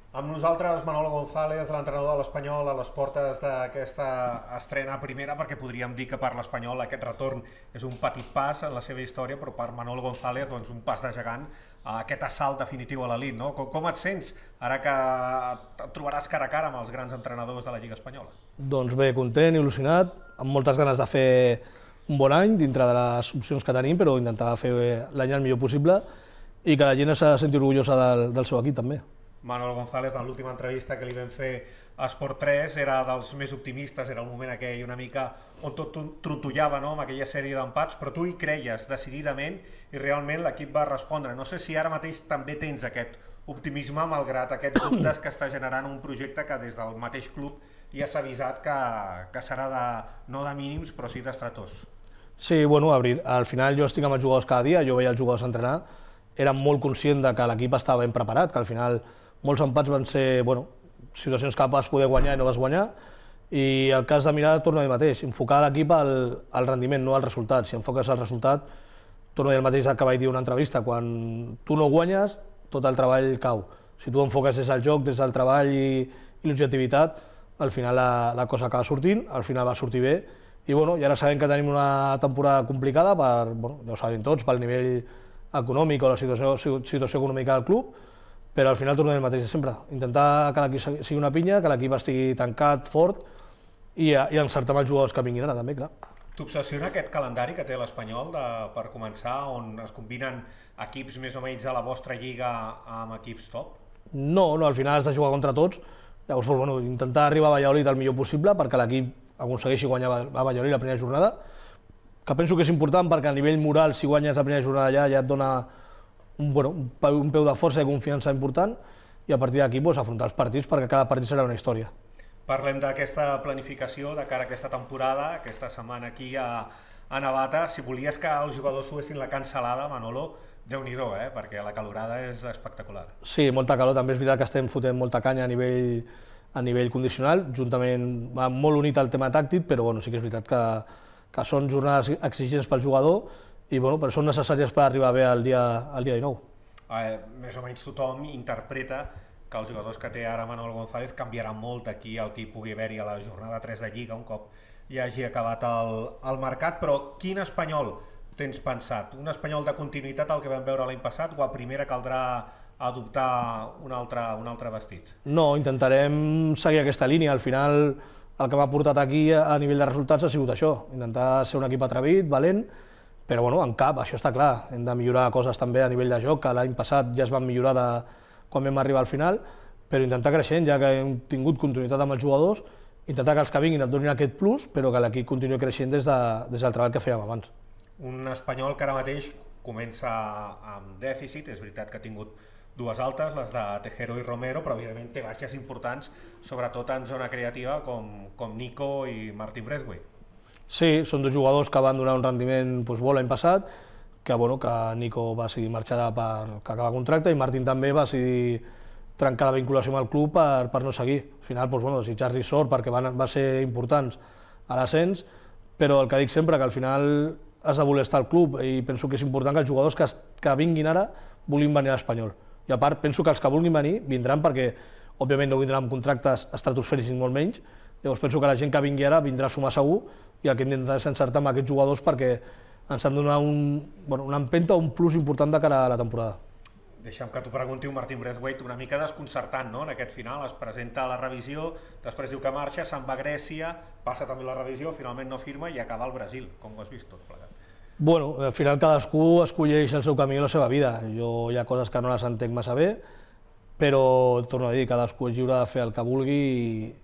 Amb nosaltres Manolo González, l'entrenador de l'Espanyol, a les portes d'aquesta estrena a primera, perquè podríem dir que per l'Espanyol aquest retorn és un petit pas en la seva història, però per Manolo González doncs, un pas de gegant a aquest assalt definitiu a l'elit. No? Com et sents ara que et trobaràs cara a cara amb els grans entrenadors de la Lliga Espanyola? Doncs bé, content, il·lusionat, amb moltes ganes de fer un bon any dintre de les opcions que tenim, però intentar fer l'any el millor possible i que la gent s'ha de sentir orgullosa del seu equip també. Manuel González, en l'última entrevista que li vam fer a Esport 3, era dels més optimistes, era el moment aquell una mica on tot trontollava, no?, amb aquella sèrie d'empats, però tu hi creies decididament i realment l'equip va respondre. No sé si ara mateix també tens aquest optimisme malgrat aquests dubtes que està generant un projecte que des del mateix club ja s'ha avisat que serà no de mínims però sí d'estratós. Sí, bueno, al final jo estic amb els jugadors cada dia, jo veia els jugadors entrenar, era molt conscient de que l'equip estava ben preparat, que al final molts empats van ser situacions que vas poder guanyar i no vas guanyar, i el cas de mirar torna a dir mateix, enfocar l'equip al rendiment, no al resultat. Si enfoques al resultat, torna a dir el mateix que vaig dir en una entrevista, quan tu no guanyes, tot el treball cau. Si tu enfoques des del joc, des del treball i l'objectivitat, al final la cosa acaba sortint, al final va sortir bé, i ara sabem que tenim una temporada complicada, ja ho sabem tots, pel nivell econòmic o la situació econòmica del club, però al final tornem al mateix de sempre, intentar que l'equip sigui una pinya, que l'equip estigui tancat, fort, i encertar amb els jugadors que vinguin ara també, clar. T'obsessiona aquest calendari que té l'Espanyol per començar, on es combinen equips més o menys a la vostra lliga amb equips top? No, al final has de jugar contra tots, llavors intentar arribar a Valladolid el millor possible perquè l'equip aconsegueixi guanyar a Valladolid la primera jornada, que penso que és important perquè a nivell moral, si guanyes la primera jornada allà, ja et dona un peu de força i confiança important, i a partir d'aquí afrontar els partits perquè cada partit serà una història. Parlem d'aquesta planificació de cara a aquesta temporada, aquesta setmana aquí a Navata. Si volies que els jugadors suessin la cancel·lada, Manolo, Déu-n'hi-do, perquè la calorada és espectacular. Sí, molta calor, també és veritat que estem fotent molta canya a nivell condicional, juntament va molt unit al tema tàctic, però sí que és veritat que són jornades exigents pel jugador, però són necessàries per arribar bé al dia 19. Més o menys tothom interpreta que els jugadors que té ara Manuel González canviaran molt aquí el que hi pugui haver-hi a la jornada 3 de Lliga un cop ja hagi acabat el mercat, però quin Espanyol tens pensat? Un Espanyol de continuïtat al que vam veure l'any passat o a primera caldrà adoptar un altre vestit? No, intentarem seguir aquesta línia. Al final el que m'ha portat aquí a nivell de resultats ha sigut això, intentar ser un equip atrevit, valent, però en cap, això està clar, hem de millorar coses també a nivell de joc, que l'any passat ja es van millorar quan vam arribar al final, però intentar creixent, ja que hem tingut continuïtat amb els jugadors, intentar que els que vinguin et donin aquest plus, però que l'equip continuï creixent des del treball que fèiem abans. Un Espanyol que ara mateix comença amb dèficit, és veritat que ha tingut dues altes, les de Tejero i Romero, però evidentment té baixes importants, sobretot en zona creativa, com Nico i Martín Braithwaite. Sí, són dos jugadors que van donar un rendiment bo l'any passat, que Nico va decidir marxar per acabar contracte i Martín també va decidir trencar la vinculació amb el club per no seguir. Al final, desitjar-li sort perquè van ser importants a l'ascens, però el que dic sempre, que al final has de voler estar al club i penso que és important que els jugadors que vinguin ara vulguin venir a l'Espanyol. I a part, penso que els que vulguin venir vindran perquè, òbviament, no vindran amb contractes estratosfèrics ni molt menys, llavors penso que la gent que vingui ara vindrà a sumar segur i el que hem d'intentar és encertar amb aquests jugadors perquè ens han de donar una empenta o un plus important de cara a la temporada. Deixa'm que t'ho pregunti un Martín Braithwaite una mica desconcertant, no?, en aquest final. Es presenta a la revisió, després diu que marxa, se'n va a Grècia, passa també la revisió, finalment no firma i acaba al Brasil. Com ho has vist tot plegat? Al final cadascú escolleix el seu camí i la seva vida. Jo hi ha coses que no les entenc massa bé, però torno a dir, cadascú és lliure de fer el que vulgui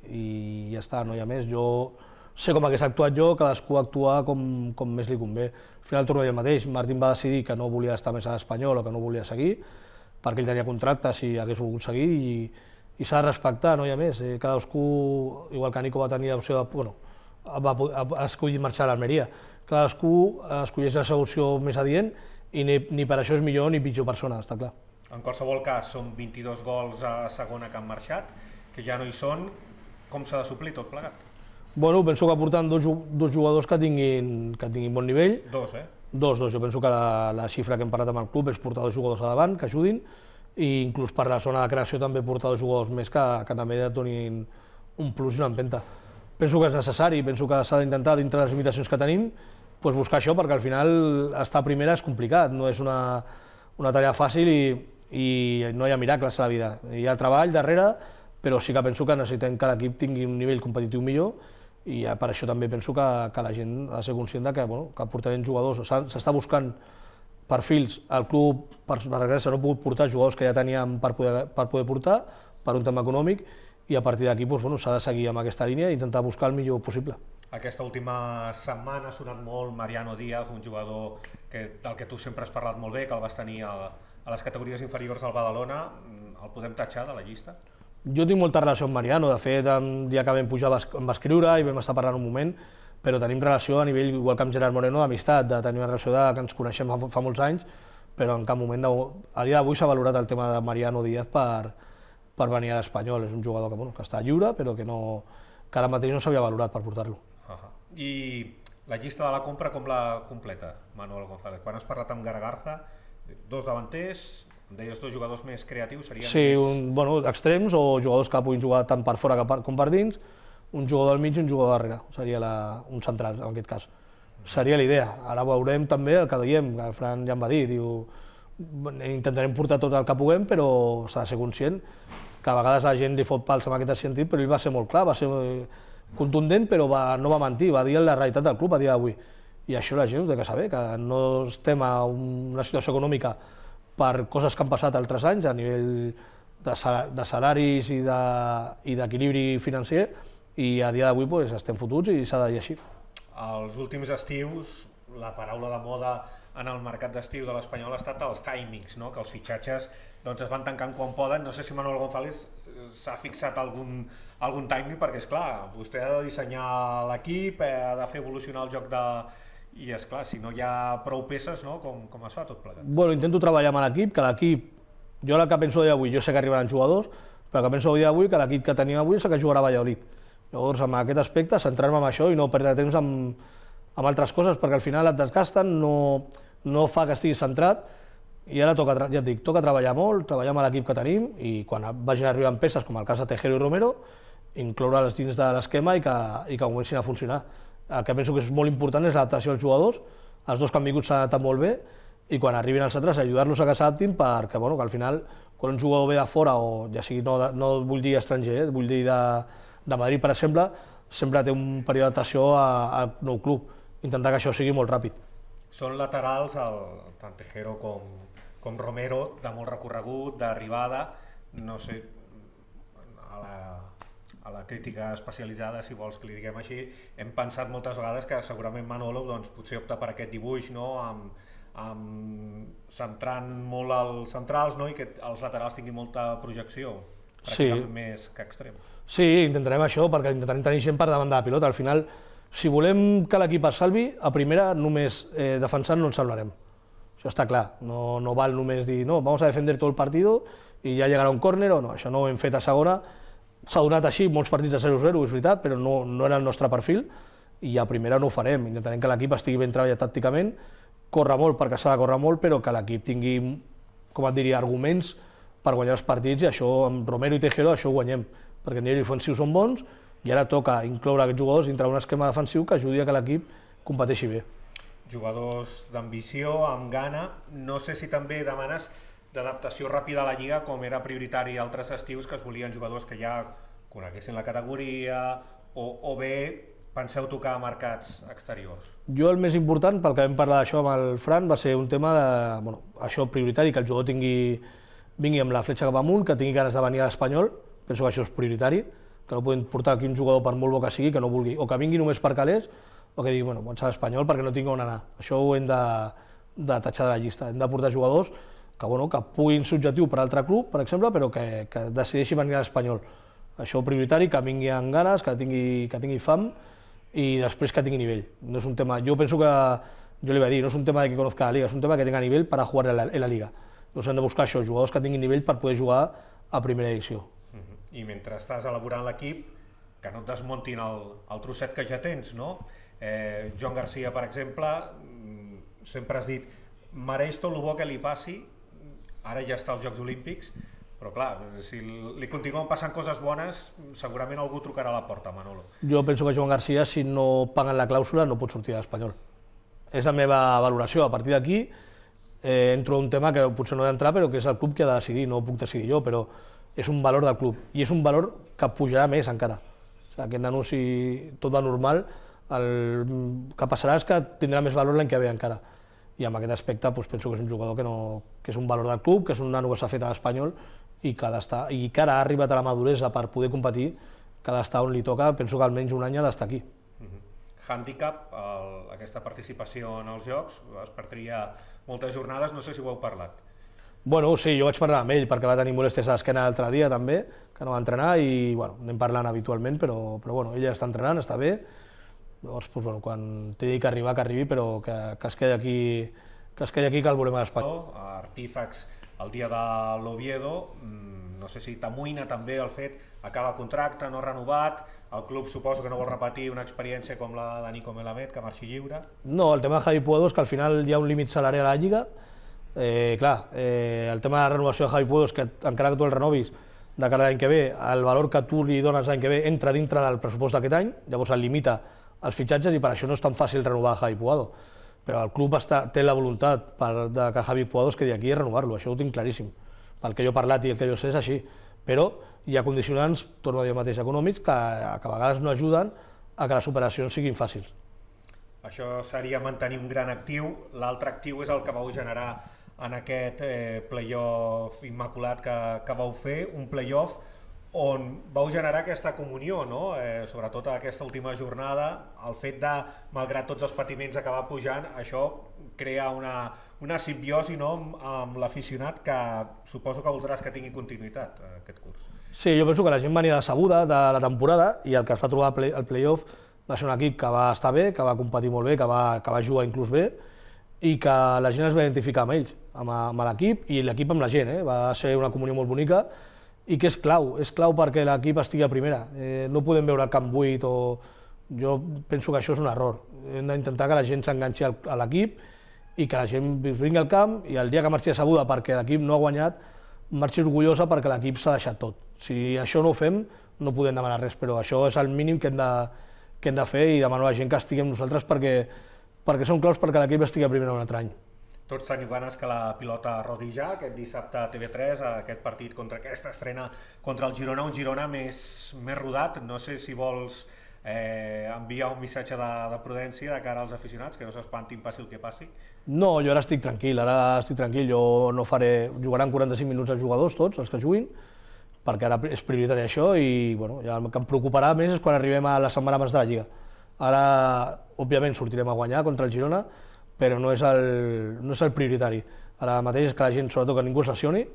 i ja està, no hi ha més. Jo sé com hagués actuat jo, cadascú actua com més li convé. Al final torno a dir el mateix, Martín va decidir que no volia estar més a l'Espanyol o que no volia seguir, perquè ell tenia contracte si hagués volgut seguir i s'ha de respectar, no hi ha més. Cadascú, igual que Nico va tenir l'opció va escollir marxar a l'Almeria, cadascú escolleix la seva opció més adient i ni per això és millor ni pitjor persona, està clar. En qualsevol cas, són 22 gols a segona que han marxat, que ja no hi són. Com s'ha de suplir tot plegat? Penso que portant dos jugadors que tinguin bon nivell. Dos, Dos. Jo penso que la xifra que hem parlat amb el club és portar dos jugadors a davant, que ajudin, i inclús per la zona de creació també portar dos jugadors més que també et donin un plus i una empenta. Penso que és necessari, penso que s'ha d'intentar, dintre de les limitacions que tenim, buscar això, perquè al final estar a primera és complicat, no és una tarea fàcil i no hi ha miracles a la vida. Hi ha treball darrere, però sí que penso que necessitem que l'equip tingui un nivell competitiu millor i per això també penso que la gent ha de ser conscient que portarem jugadors. S'està buscant perfils, el club per desgràcia no ha pogut portar jugadors que ja teníem per poder portar, per un tema econòmic, i a partir d'aquí s'ha de seguir amb aquesta línia i intentar buscar el millor possible. Aquesta última setmana ha sonat molt Mariano Díaz, un jugador del que tu sempre has parlat molt bé, que el vas tenir a les categories inferiors del Badalona. El podem tatxar de la llista? Jo tinc molta relació amb Mariano, de fet, el dia que vam pujar em va escriure i vam estar parlant un moment, però tenim relació a nivell, igual que amb Gerard Moreno, d'amistat, de tenir una relació que ens coneixem fa molts anys, però en cap moment, a dia d'avui s'ha valorat el tema de Mariano Díaz per venir a l'Espanyol. És un jugador que està lliure, però que ara mateix no s'havia valorat per portar-lo. I la llista de la compra com la completa, Manuel González? Quan has parlat amb Garagarza, dos davanters, deies dos jugadors més creatius, serien sí, extrems o jugadors que puguin jugar tant per fora com per dins, un jugador al mig i un jugador darrere, seria un central en aquest cas. Seria la idea. Ara veurem també el que diem, que el Fran ja em va dir, intentarem portar tot el que puguem, però s'ha de ser conscient que a vegades la gent li fot pals en aquest sentit, però ell va ser molt clar, va ser contundent, però no va mentir, va dir la realitat del club a dia d'avui. I això la gent ho té que saber, que no estem a una situació econòmica per coses que han passat altres anys a nivell de salaris i d'equilibri financer, i a dia d'avui estem fotuts i s'ha de dir així. Els últims estius, la paraula de moda en el mercat d'estiu de l'Espanyol ha estat els timings, que els fitxatges es van tancant quan poden. No sé si Manuel González s'ha fixat algun timing, perquè esclar, vostè ha de dissenyar l'equip, ha de fer evolucionar el joc i esclar, si no hi ha prou peces, com es fa tot plegat? Intento treballar amb l'equip, que l'equip, jo el que penso d'avui, jo sé que arribaran jugadors, però el que penso d'avui que l'equip que tenim avui és el que jugarà a Valladolid. Llavors, en aquest aspecte, centrar-me en això i no perdre temps amb altres coses, perquè al final et desgasten, no fa que estiguis centrat, i ara ja et dic, toca treballar molt, treballar amb l'equip que tenim, i quan vagin arribant peces, com el cas de Tejero i Romero, incloure'ls dins de l'esquema i que comencin a funcionar. El que penso que és molt important és l'adaptació als jugadors, els dos que han vingut s'han adaptat molt bé, i quan arribin els altres ajudar-los a que s'adaptin, perquè que al final, quan un jugador ve de fora, o ja sigui, no vull dir estranger, vull dir de Madrid, per exemple, sempre té un període d'adaptació al nou club, intentar que això sigui molt ràpid. Són laterals, tant Tejero com Romero, de molt recorregut, d'arribada, no sé, a la crítica especialitzada, si vols que li diguem així, hem pensat moltes vegades que segurament Manolo potser opta per aquest dibuix, centrant molt els centrals i que els laterals tinguin molta projecció, pràcticament més que extrem. Sí, intentarem això, perquè intentarem tenir gent per davant de la pilota. Al final, si volem que l'equip es salvi, a primera només defensant no ens salvarem. Això està clar, no val només dir no, vamos a defender tot el partit i ja llegarà un córner o no, això no ho hem fet a segona. S'ha donat així molts partits de 0-0, és veritat, però no era el nostre perfil i a primera no ho farem. Intentarem que l'equip estigui ben treballat tàcticament, córrer molt perquè s'ha de córrer molt, però que l'equip tingui, com et diria, arguments per guanyar els partits, i això amb Romero i Tejero això ho guanyem, perquè a nivell ofensiu són bons i ara toca incloure aquests jugadors dintre d'un esquema defensiu que ajudi a que l'equip competeixi bé. Jugadors d'ambició, amb gana, no sé si també demanes d'adaptació ràpida a la Lliga, com era prioritari altres estius, que es volien jugadors que ja coneguessin la categoria, o bé penseu tocar a mercats exteriors? Jo el més important, pel que vam parlar d'això amb el Fran, va ser un tema de, això prioritari, que el jugador vingui amb la fletxa cap amunt, que tingui ganes de venir a l'Espanyol, penso que això és prioritari, que no podem portar aquí un jugador per molt bo que sigui, que no vulgui, o que vingui només per calés, o que digui, vaig a l'Espanyol perquè no tinc on anar. Això ho hem de tatxar de la llista, hem de portar jugadors que puguin ser objectiu per altre club, per exemple, però que decideixi venir a l'Espanyol. Això prioritari, que vingui amb ganes, que tingui fam i després que tingui nivell. No és un tema, jo penso que, jo li vaig dir, no és un tema de que conozca la Liga, és un tema que tenga nivell per a jugar en la Liga. Llavors hem de buscar això, jugadors que tinguin nivell per poder jugar a primera edició. I mentre estàs elaborant l'equip, que no et desmontin el trosset que ja tens, no? Joan Garcia, per exemple, sempre has dit, mereix tot el bo que li passi, ara ja està als Jocs Olímpics, però clar, si li continuen passant coses bones, segurament algú trucarà a la porta, Manolo. Jo penso que Joan Garcia, si no paguen la clàusula, no pot sortir de l'Espanyol. És la meva valoració. A partir d'aquí entro a un tema que potser no he d'entrar, però que és el club que ha de decidir, no ho puc decidir jo, però és un valor del club i és un valor que pujarà més encara. O sigui, aquest nano, si tot va normal, el que passarà és que tindrà més valor l'any que ve encara. I en aquest aspecte penso que és un jugador que és un valor del club, que és un nano que s'ha fet a l'Espanyol i que ara ha arribat a la maduresa per poder competir, que ha d'estar on li toca, penso que almenys un any ha d'estar aquí. Handicap, aquesta participació en els Jocs, es perdria moltes jornades, no sé si ho heu parlat. Bueno, sí, jo vaig parlar amb ell perquè va tenir molèsties a l'esquena l'altre dia també, que no va entrenar i anem parlant habitualment, però ell ja està entrenant, està bé. Llavors, quan tingui que arribar, que arribi, però que es quedi aquí, que el volem a l'Espanya. Artífax, el dia de l'Oviedo, no sé si t'amoïna també el fet, acaba contracte, no renovat, el club suposo que no vol repetir una experiència com la de Nico Melamed, que marxi lliure. No, el tema de Javi Puedo és que al final hi ha un límit salarial a la Lliga. El tema de la renovació de Javi Puedo és que encara que tu el renovis de cara a l'any que ve, el valor que tu li dones l'any que ve entra dintre del pressupost d'aquest any, llavors el limita als fitxatges i per això no és tan fàcil renovar Javi Puedo. Però el club té la voluntat que Javi Puedo es quedi aquí i renovar-lo, això ho tinc claríssim. Pel que jo he parlat i el que jo sé és així. Però hi ha condicionants, torno a dir el mateix, econòmics, que a vegades no ajuden a que les operacions siguin fàcils. Això seria mantenir un gran actiu. L'altre actiu és el que vau generar en aquest play-off immaculat que vau fer, un play-off on vau generar aquesta comunió, sobretot aquesta última jornada, el fet de, malgrat tots els patiments, acabar pujant, això crea una simbiosi amb l'aficionat que suposo que voldràs que tingui continuïtat aquest curs. Sí, jo penso que la gent venia decebuda de la temporada i el que es va trobar al play-off va ser un equip que va estar bé, que va competir molt bé, que va jugar inclús bé i que la gent es va identificar amb ells, amb l'equip i l'equip amb la gent. Va ser una comunió molt bonica i que és clau perquè l'equip estigui a primera. No podem veure el camp buit o... Jo penso que això és un error. Hem d'intentar que la gent s'enganxi a l'equip i que la gent vingui al camp i el dia que marxi decebuda perquè l'equip no ha guanyat, marxi orgullosa perquè l'equip s'ha deixat tot. Si això no ho fem, no podem demanar res, però això és el mínim que hem de fer i demanar a la gent que estigui amb nosaltres perquè són claus perquè l'equip estigui a primera un altre any. Tots teniu ganes que la pilota rodi ja, aquest dissabte a TV3, aquest partit contra aquesta estrena contra el Girona, un Girona més rodat. No sé si vols enviar un missatge de prudència de cara als aficionats, que no s'espantin passi el que passi. No, jo ara estic tranquil, jo no faré... Jugaran 45 minuts els jugadors, tots, els que juguin, perquè ara és prioritari això i el que em preocuparà més és quan arribem a la setmana abans de la Lliga. Ara, òbviament, sortirem a guanyar contra el Girona, però no és el prioritari. Ara mateix és que la gent, sobretot, que ningú es lesioni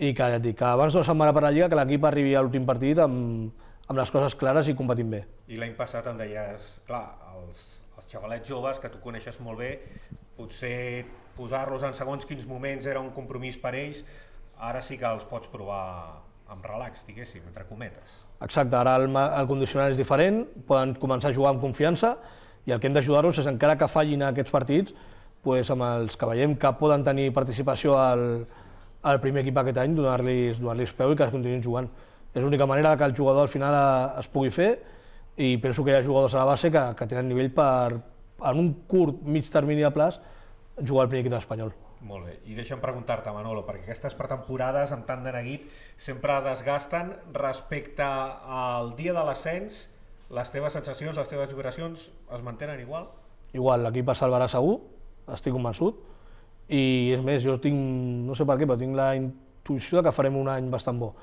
i que abans d'una setmana per la Lliga que l'equip arribi a l'últim partit amb les coses clares i competint bé. I l'any passat em deies, clar, els xavalets joves, que tu coneixes molt bé, potser posar-los en segons quins moments era un compromís per ells, ara sí que els pots provar amb relax, diguéssim, entre cometes. Exacte, ara el condicionant és diferent, poden començar a jugar amb confiança i el que hem d'ajudar-los és, encara que fallin aquests partits, amb els que veiem que poden tenir participació al primer equip aquest any, donar-los peu i que continuïn jugant. És l'única manera que el jugador al final es pugui fer i penso que hi ha jugadors a la base que tenen nivell per, en un curt, mig termini de plaç, jugar al primer equip espanyol. Molt bé, i deixa'm preguntar-te, Manolo, perquè aquestes pretemporades amb tant de neguit sempre desgasten. Respecte al dia de l'ascens, les teves sensacions, les teves vibracions es mantenen igual? Igual, l'equip es salvarà segur, estic convençut, i és més, jo tinc, no sé per què, però tinc la intuïció que farem un any bastant bo,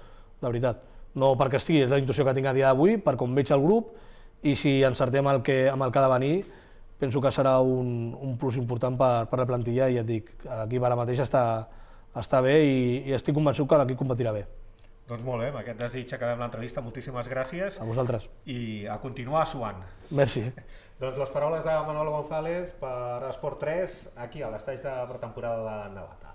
la veritat. No perquè estigui, és la intuïció que tinc a dia d'avui, per com veig el grup, i si encertem amb el que ha de venir, penso que serà un plus important per la plantilla i ja et dic, l'equip ara mateix està bé i estic convençut que l'equip competirà bé. Doncs molt bé, amb aquest desig acabem l'entrevista, moltíssimes gràcies. A vosaltres. I a continuar suant. Merci. Doncs les paraules de Manolo González per Esport 3, aquí a l'estatge de pretemporada de Navata.